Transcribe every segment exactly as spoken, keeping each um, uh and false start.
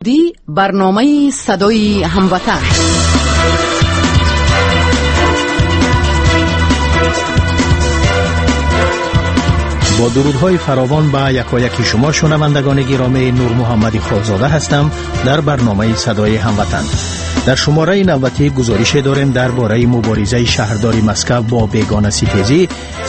Ди барномаи садои ҳамватан. Бо дурудҳои фаровон ба якояки шумо шунавандагони гиромӣ, Нурмуҳаммади Холзода ҳастам дар барномаи садои ҳамватан. Дар шумораи навбатӣ гузорише дорем дар бораи муборизаи шаҳрдори Москав бо бегонаситезӣ,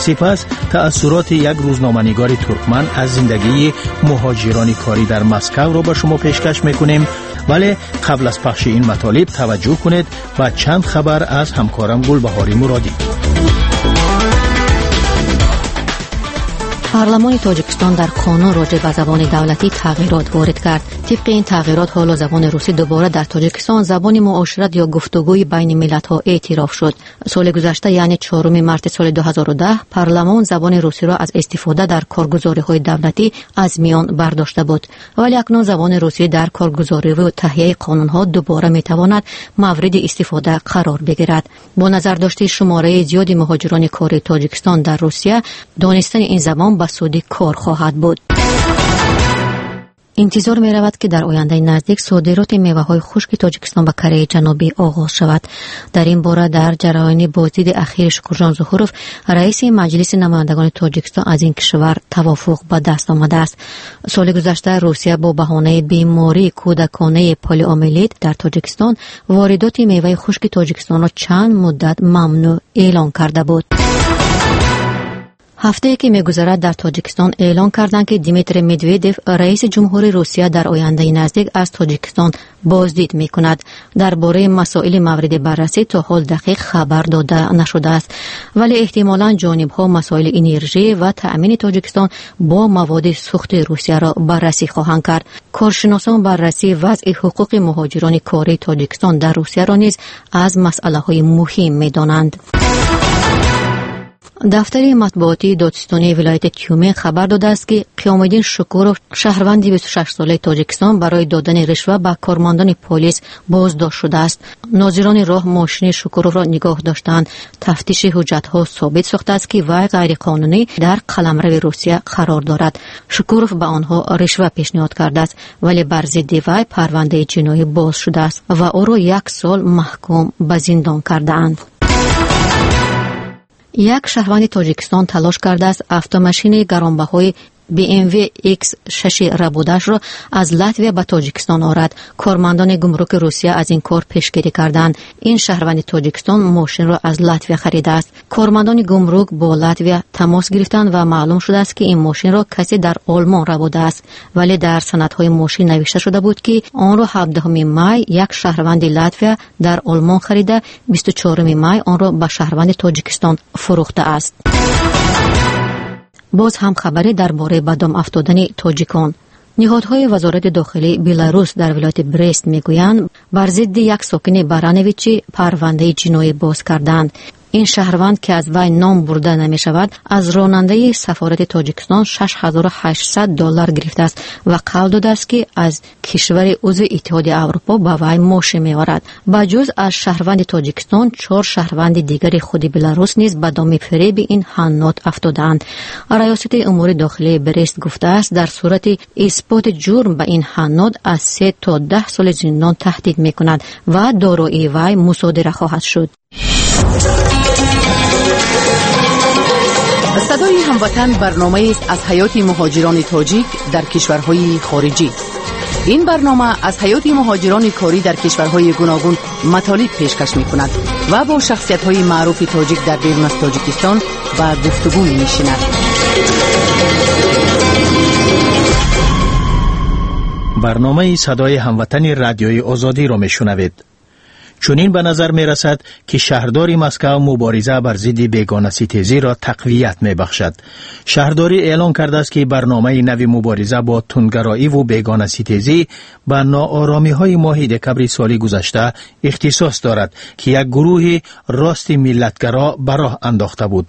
сипас таассуроти як рӯзноманигори туркман аз зиндагии муҳоҷирони корӣ дар Москавро ба шумо пешкаш мекунем. Вале қабл аз пахши ин матолиб таваҷҷӯҳ кунед ба чанд хабар аз ҳамкорам Гулбаҳори Муродӣ. Парламони Тоҷикистон дар қонун роҷеъ ба забони давлатӣ тағйирот ворид кард. Тибқи ин тағйирот ҳоло забони русӣ дубора дар Тоҷикистон забони муошират ё гуфтугӯи байни миллатҳо эътироф шуд. Соли гузашта, яъне чоруми марти соли ду ҳазору даҳ, парламон забони русиро аз истифода дар коргузориҳои давлатӣ аз миён бардошта буд. Вале акнун забони русӣ дар коргузориву таҳияи қонунҳо дубора метавонад мавриди истифода қарор бигирад. Бо назардошти шумораи зиёди муҳоҷирони кори Тоҷикистон дар Русия, донистани ин забон ба суди кор хоҳад буд. Интизор меравад, ки дар ояндаи наздик содироти меваҳои хушки Тоҷикистон ба Кореяи Ҷанубӣ оғоз шавад. Дар ин бора дар ҷараёни боздиди ахири Шукурҷон Зуҳуров, раиси Маҷлиси намояндагони Тоҷикистон, аз ин кишвар тавофуқ ба даст омадааст. Соли гузашта Русия бо баҳонаи бемории кӯдаконаи полиомиелит дар Тоҷикистон воридоти меваи хушки Тоҷикистонро чанд муддат мамнӯъ эълон карда буд. Ҳафтае ки мегузарад дар Тоҷикистон эълон карданд, ки Дмитрий Медведев, раиси ҷумҳури Русия, дар ояндаи наздик аз Тоҷикистон боздид мекунад. Дар бораи масоили мавриди баррасӣ то ҳол дақиқ хабар дода нашудааст, вале эҳтимолан ҷонибҳо масоили энержӣ ва таъмини Тоҷикистон бо маводи сӯхти Русияро баррасӣ хоҳанд кард. Коршиносон баррасии вазъи ҳуқуқи муҳоҷирони кории Тоҷикистон дар Русияро низ аз масъалаҳои муҳим медонанд. Дафтари матбуотии додситонии вилояти Тюмен хабар додааст, ки Қиёмиддин Шукуров, шаҳрванди бисту шашсолаи Тоҷикистон, барои додани ришва ба кормандони полис боздошт шудааст. Нозирони роҳ мошини Шукуровро нигоҳ доштаанд. Тафтиши ҳуҷҷатҳо собит сохтааст, ки вай ғайриқонунӣ дар қаламрави Русия қарор дорад. Шукуров ба онҳо ришва пешниҳод кардааст, вале бар зидди вай парвандаи ҷиноӣ боз шудааст ва ӯро як сол маҳкум ба зиндон кардаанд. Як шаҳрванди Тоҷикистон талош кардааст автомашини гаронбаҳои би эм ви икс шаш рабудашро аз Латвия ба Тоҷикистон орад. Кормандони гумруки Русия аз ин кор пешгирӣ карданд. Ин шаҳрванди Тоҷикистон мошинро аз Латвия харидааст. Кормандони гумрук бо Латвия тамос гирифтанд ва маълум шудааст, ки ин мошинро касе дар Олмон рабудааст. Вале дар санадҳои мошин навишта шуда буд, ки онро ҳабдаҳуми май як шаҳрванди Латвия дар Олмон харида, бисту чоруми май онро ба шаҳрванди Тоҷикистон фурӯхтааст. Боз ҳам хабаре дар бораи ба дом афтодани тоҷикон. Ниҳодҳои вазорати дохилии Беларус дар вилояти Брест мегӯянд, бар зидди як сокини Барановичи парвандаи ҷиноӣ боз карданд. Ин шаҳрванд, ки аз вай ном бурда намешавад, аз ронандаи сафорати Тоҷикистон шаш ҳазору ҳаштсад доллар гирифтааст ва қавл додааст, ки аз кишвари узви Иттиҳоди Аврупо ба вай мошин меорад. Ба ҷуз аз шаҳрванди Тоҷикистон, чор шаҳрванди дигари худи Беларус низ ба доми фиреби ин ҳаннот афтодаанд. Раёсати умури дохилии Брест гуфтааст, дар сурати исботи ҷурм ба ин ҳаннот аз се то даҳ соли зиндон таҳдид мекунад ва дороии вай мусодира хоҳад шуд. Садои ҳамватан барномаест аз ҳаёти муҳоҷирони тоҷик дар кишварҳои хориҷӣ. Ин барнома аз ҳаёти муҳоҷирони корӣ дар кишварҳои гуногун матолиб пешкаш мекунад ва бо шахсиятҳои маъруфи тоҷик дар берун аз Тоҷикистон ба гуфтугӯ менишинад. Барномаи садои ҳамватани радиои Озодиро мешунавед. Чунин ба назар мерасад, ки шаҳрдори Москав мубориза бар зидди бегонаситезиро тақвият мебахшад. Шаҳрдорӣ эълон кардааст, ки барномаи нави мубориза бо тундгароиву бегонаситезӣ ба нооромиҳои моҳи декабри соли гузашта ихтисос дорад, ки як гурӯҳи рости миллатгаро ба роҳ андохта буд.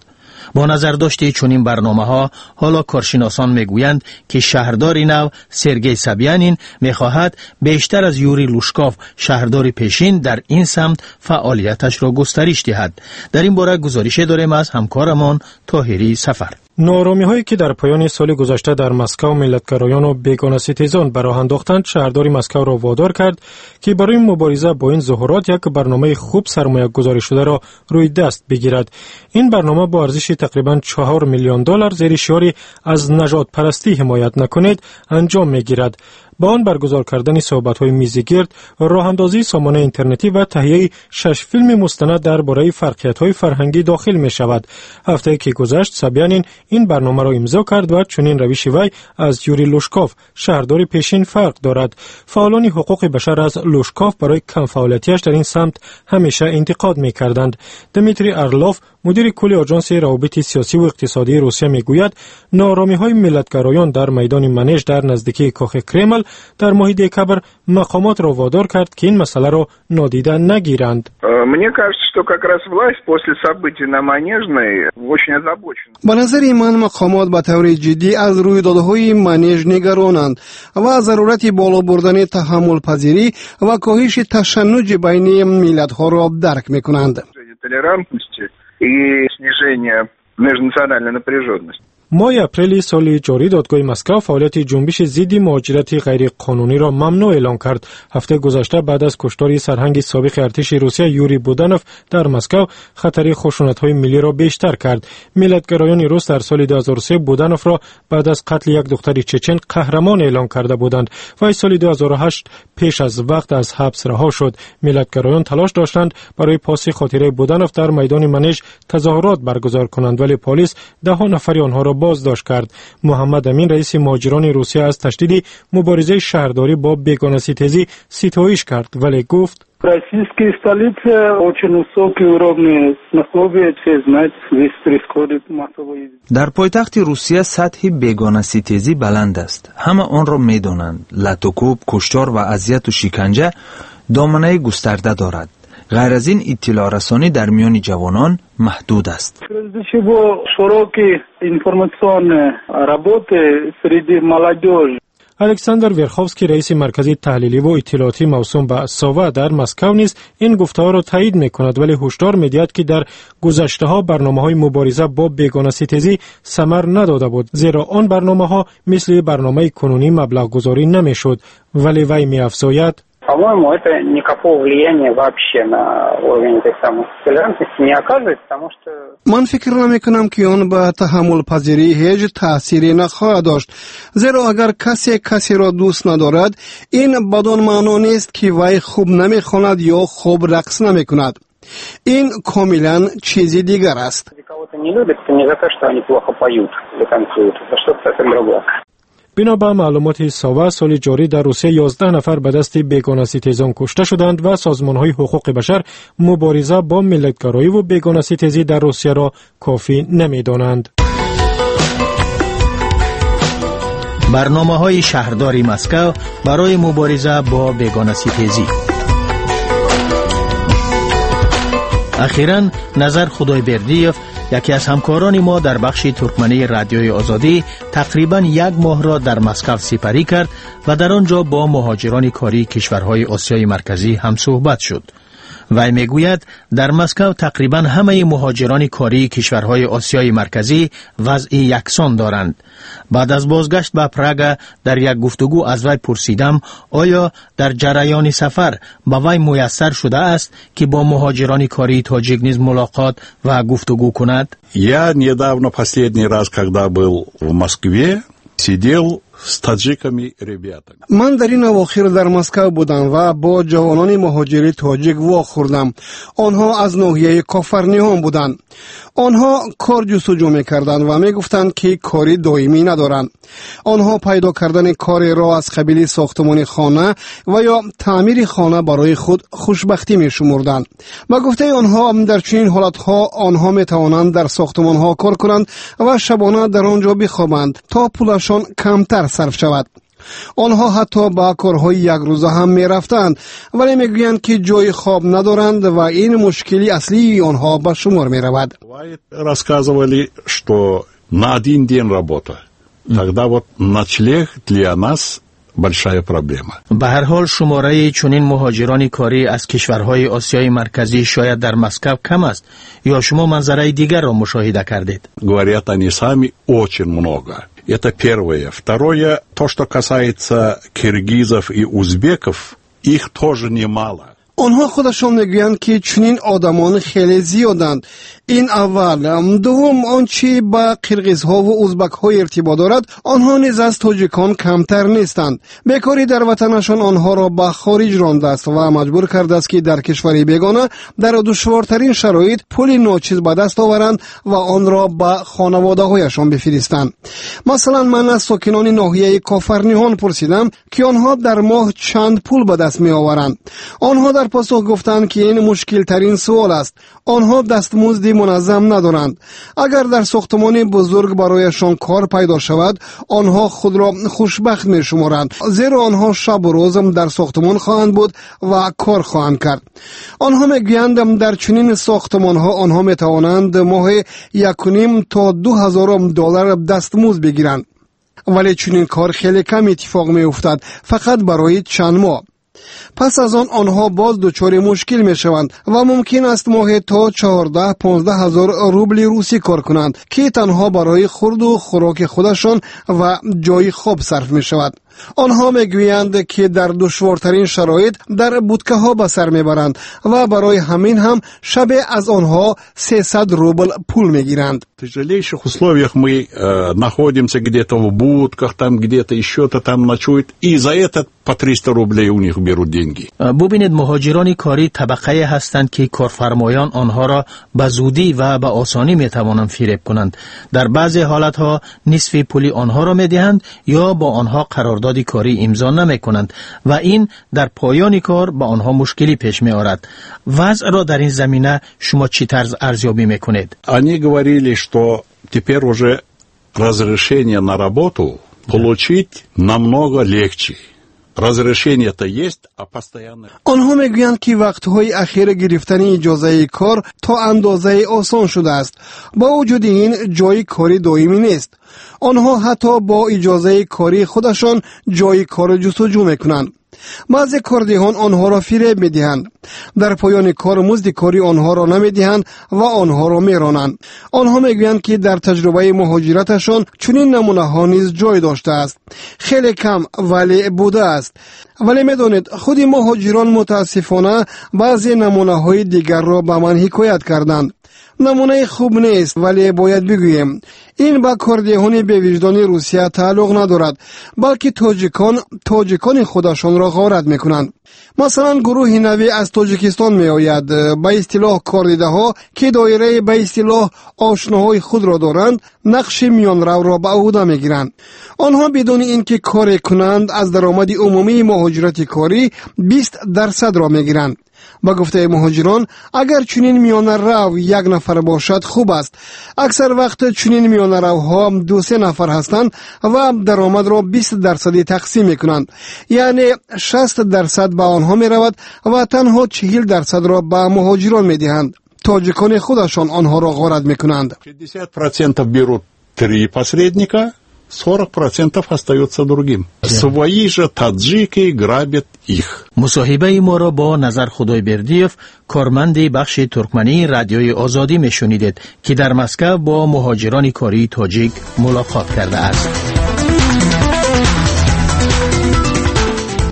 Бо назардошти чунин барномаҳо ҳоло коршиносон мегӯянд, ки шаҳрдори нав Сергей Собянин мехоҳад бештар аз Юрий Лужков, шаҳрдори пешин, дар ин самт фаъолияташро густариш диҳад. Дар ин бора гузорише дорем аз ҳамкорамон Тоҳирӣ Сафар. Нооромиҳое, ки дар поёни соли гузашта дар Москав миллатгароёну бегонаситезон ба роҳ андохтанд, шаҳрдори Москавро водор кард, ки барои мубориза бо ин зуҳурот як барномаи хуб сармоягузоришударо рӯи даст бигирад. Ин барнома бо арзиши тақрибан чаҳор миллион доллар зери шиори «Аз нажодпарастӣ ҳимоят накунед» анҷом мегирад. Ба он баргузор кардани суҳбатҳои мизигирд, роҳандозии сомонаи интернетӣ ва таҳияи шаш филми мустанад дар бораи фарқиятҳои фарҳангӣ дохил мешавад. Ҳафтае ки гузашт, Собянин ин барномаро имзо кард ва чунин равиши вай аз Юрий Лужков, шаҳрдори пешин, фарқ дорад. Фаъолони ҳуқуқи башар аз Лужков барои камфаъолиятиаш дар ин самт ҳамеша интиқод мекарданд. Дмитрий Орлов, мудири кулли Оҷонси равобити сиёсиву иқтисодии Русия, мегӯяд, нооромиҳои миллатгароён дар майдони Манеж дар наздикии кохи Кремл дар моҳи декабр мақомотро водор кард, ки ин масъаларо нодида нагиранд. Мне кажется, что как раз власть после событий на Манежной очень озабочена. Ба назари ман, мақомот ба таври ҷиддӣ аз рӯйдодҳои Манеж нигаронанд ва зарурати боло бурдани таҳаммулпазирӣ ва коҳиши ташаннуҷи байни миллатҳоро дарк мекунанд. Толерантности и снижения межнациональной напряженности. Моҳи апрели соли ҷорӣ додгоҳи Москав фаъолияти ҷунбиши зидди муҳоҷирати ғайриқонуниро мамнӯъ эълон кард. Ҳафтаи гузашта, баъд аз куштори сарҳанги собиқи артиши Русия Юрий Буданов дар Москав, хатари хушунатҳои миллиро бештар кард. Миллатгароёни рус дар соли ду ҳазору се Будановро баъд аз қатли як духтари чечен қаҳрамон эълон карда буданд. Вай соли ду ҳазору ҳашт пеш аз вақт аз ҳабс раҳо шуд. Миллатгароён талош доштанд барои поси хотираи Буданов дар майдони Манеж тазоҳурот баргузор кунанд, вале полис даҳҳо нафари онҳоро боздошт кард. Муҳаммад Амин, раиси муҳоҷирони Русия, аз ташдиди муборизаи шаҳрдорӣ бо бегонаситезӣ ситоиш кард, вале гуфт: Российские столицы очень высокий уровень ксенофобии, все знают, здесь происходит массовый. Дар пойтахти Русия сатҳи бегонаситезӣ баланд аст, ҳама онро медонанд. Латукӯб, куштор ва азияту шиканҷа доманаи густарда дорад. Ғайр аз ин, иттилоърасонӣ дар миёни ҷавонон маҳдуд аст. Прежде всего, широкие информационные работы среди молодежи. Александр Верховский, раиси маркази таҳлиливу иттилоотӣ мавсум ба Сова дар Москав, низ ин гуфтаҳоро таъид мекунад, вале ҳушдор медиҳад, ки дар гузаштаҳо барномаҳои мубориза бо бегонаситезӣ самар надода буд, зеро он барномаҳо мисли барномаи кунунӣ маблағгузорӣ намешуд. Вале вай меафзояд: По-моему, это никакого влияния вообще на уровень этой самой толерантности не оказывает, потому что. Ман фикр намекунам, ки он ба таҳаммулпазирӣ ҳеҷ таъсире нахоҳад дошт, зеро агар касе касеро дӯст надорад, ин бадон маъно нест, ки вай хуб намехонад ё хуб рақс намекунад. Ин комилан чизи дигар аст. Кого-то не любят, это не за то, что они плохо поют или танцуют, это что-то совсем другое. Бино ба маълумоти Сова, соли ҷорӣ дар Русия ёздаҳ нафар ба дасти бегонаситезон кушта шуданд ва созмонҳои ҳуқуқи башар мубориза бо миллатгароиву бегонаситезӣ дар Русияро кофӣ намедонанд. Барномаҳои шаҳрдори Москав барои мубориза бо бегонаситезӣ. Ахиран Назар Худойбердиев, яке аз ҳамкорони мо дар бахши туркмании Радиои Озодӣ, тақрибан як моҳро дар Москав сипарӣ кард ва дар он ҷо бо муҳоҷирони кории кишварҳои Осиёи Марказӣ ҳамсӯҳбат шуд. Вай мегӯяд, дар Москав тақрибан ҳамаи муҳоҷирони кории кишварҳои Осиёи Марказӣ вазъи яксон доранд. Баъд аз бозгашт ба Прага дар як гуфтугӯ аз вай пурсидам, оё дар ҷараёни сафар ба вай муяссар шудааст, ки бо муҳоҷирони кории тоҷик низ мулоқот ва гуфтугӯ кунад. Я недавно, последний раз, когда был в Москве, сидел с таджиками ребятами. Ман дар ин авохир дар Москав будам ва бо ҷавонони муҳоҷири тоҷик вохӯрдам. Онҳо аз ноҳияи Кофарниҳон буданд. Онҳо кор ҷустуҷӯ мекарданд ва мегуфтанд, ки кори доимӣ надоранд. Онҳо пайдо кардани кореро аз қабили сохтмони хона ва ё таъмири хона барои худ хушбахтӣ мешумурданд. Ба гуфтаи онҳо, дар чунин ҳолатҳо онҳо метавонанд дар сохтмонҳо кор кунанд ва шабона дар он ҷо бихобанд, то пулашон камтар сарф шавад. Онҳо ҳатто ба корҳои якрӯза ҳам мерафтанд, вале мегӯянд, ки ҷои хоб надоранд ва ин мушкили аслии онҳо ба шумор меравад. Рассказывали, что на один день работа. Тогда вот ночлег для нас большая проблема. Ба ҳар ҳол, шумораи чунин муҳоҷирони корӣ аз кишварҳои Осиёи Марказӣ шояд дар Москав кам аст, ё шумо манзараи дигарро мушоҳида кардед? Говорят они сами, очень много. Это первое. Второе, то, что касается киргизов и узбеков, их тоже немало. Онҳо худашон мегӯянд, ки чунин одамон хеле зиёданд. Ин аввал. Дуввум, он чи ба қирғизҳову узбакҳо иртибот дорад, онҳо низ аз тоҷикон камтар нестанд. Бекорӣ дар ватанашон онҳоро ба хориҷ рондааст ва маҷбур кардааст, ки дар кишвари бегона дар душвортарин шароит пули ночиз ба даст оваранд ва онро ба хонаводаҳояшон бифиристанд. Масалан, ман аз сокинони ноҳияи Кофарниҳон пурсидам, ки онҳо дар моҳ чанд пул ба даст меоваранд. Онҳо дар посух гуфтанд, ки ин мушкилтарин суол аст. Онҳо дастмузди муназзам надоранд. Агар дар сохтмони бузург барояшон кор пайдо шавад, онҳо худро хушбахт мешуморанд, зеро онҳо шабу рӯз дар сохтмон хоҳанд буд ва кор хоҳанд кард. Онҳо мегӯянд, дар чунин сохтмонҳо онҳо метавонанд моҳи якуним то ду ҳазор доллар дастмузд бигиранд, вале чунин кор хеле кам иттифоқ меуфтад, фақат барои чанд моҳ. Пас аз он онҳо боз дучори мушкил мешаванд ва мумкин аст моҳе то чордаҳ понздаҳ ҳазор рубли русӣ кор кунанд, ки танҳо барои хурду хӯроки худашон ва ҷои хоб сарф мешавад. Онҳо мегӯянд, ки дар душвортарин шароит дар будкаҳо ба сар мебаранд ва барои ҳамин ҳам шабе аз онҳо сесад рубл пул мегиранд. В тяжелейших условиях мы э, находимся где-то в будках, там где-то еще-то там ночуют, и за это по триста рублей у них берут деньги. Бубинед, муҳоҷирони корӣ табақае ҳастанд, ки корфармоён онҳоро ба зудӣ ва ба осонӣ метавонанд фиреб кунанд. Дар баъзе ҳолатҳо нисфи пули онҳоро медиҳанд ё бо онҳо қарордоди корӣ имзо намекунанд ва ин дар поёни кор ба онҳо мушкилӣ пеш меорад. Вазъро дар ин замина шумо чӣ тарз арзёбӣ мекунед? Они говорили, что теперь уже разрешение на работу получить намного легче. Разрешение-то есть, а постоянно... Онҳо мегӯянд, ки вақтҳои ахир гирифтани иҷозаи кор то андозаи осон шудааст. Бо вуҷуди ин, ҷои кори доимӣ нест. Онҳо ҳатто бо иҷозаи кории худашон ҷои корро ҷустуҷӯ мекунанд. Баъзе кордиҳон онҳоро фиреб медиҳанд. Дар поёни кор музди кори онҳоро намедиҳанд ва онҳоро меронанд. Онҳо мегӯянд, ки дар таҷрибаи муҳоҷираташон чунин намунаҳо низ ҷой доштааст. Хеле кам, вале будааст. Вале медонед, худи муҳоҷирон мутаассифона баъзе намунаҳои дигарро ба ман ҳикоят карданд. Намунаи хуб нест, вале бояд бигӯем, ин ба кордиҳони бевиҷдони Русия тааллуқ надорад, балки тоҷикон тоҷикони худашонро ғорат мекунанд. Масалан, гурӯҳи навӣ аз Тоҷикистон меояд, ба истилоҳ кордидаҳо, ки доираи ба истилоҳ ошноҳои худро доранд, нақши миёнравро ба ӯҳда мегиранд. Онҳо бидуни ин ки коре кунанд, аз даромади умумии муҳоҷирати корӣ бист дарсадро мегиранд. Ба гуфтаи муҳоҷирон, агар чунин миёнарав як нафар бошад, хуб аст. Аксар вақт чунин миёнаравҳо ду-се нафар ҳастанд ва даромадро бист дарсадӣ тақсим мекунанд. Яъне шаст дарсад ба онҳо меравад ва танҳо чиҳил дарсадро ба муҳоҷирон медиҳанд. Тоҷикони худашон онҳоро ғорат мекунанд. Шестьдесят процентов берут три посредника, сорок процентов остается другим. Свои же таджики грабят их. Мусоҳибаи моро бо Назар Худойбердиев, корманди бахши туркмании Радиои Озодӣ мешунидед, ки дар Москав бо муҳоҷирони кории тоҷик мулоқот кардааст.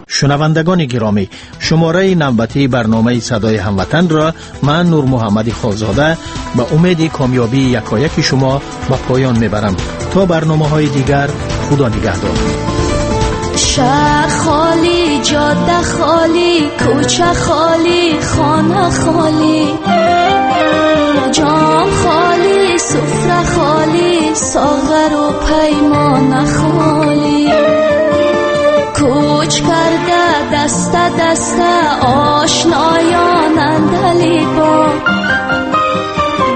Шунавандагони гиромӣ, шумораи навбатии барномаи Садои ҳамватанро ман, Нурмуҳаммади Холзода, ба умеди комёбии якояки шумо ба поён мебарам. То барномаҳои дигар, Худо нигаҳдор. Шаҳр холӣ, ҷода холӣ, кӯча холӣ, хона холӣ, ҷом холӣ, суфра холӣ, соғару паймона холӣ. Кӯч карда даста даста ошноён андалибон,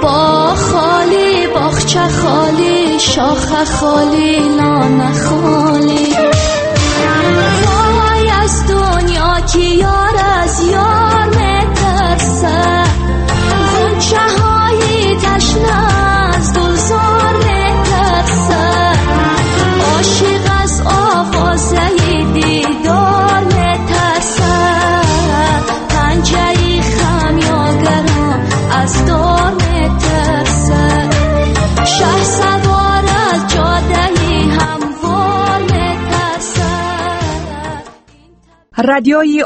боғ холӣ, боғча холӣ, шоха холӣ, лона холӣ. Вой аз дунё ки ёр аз ёр метарсад, ғунчаҳои ташна аз гулзор метарсад. Ошиқ аз овозаи дил Радиои.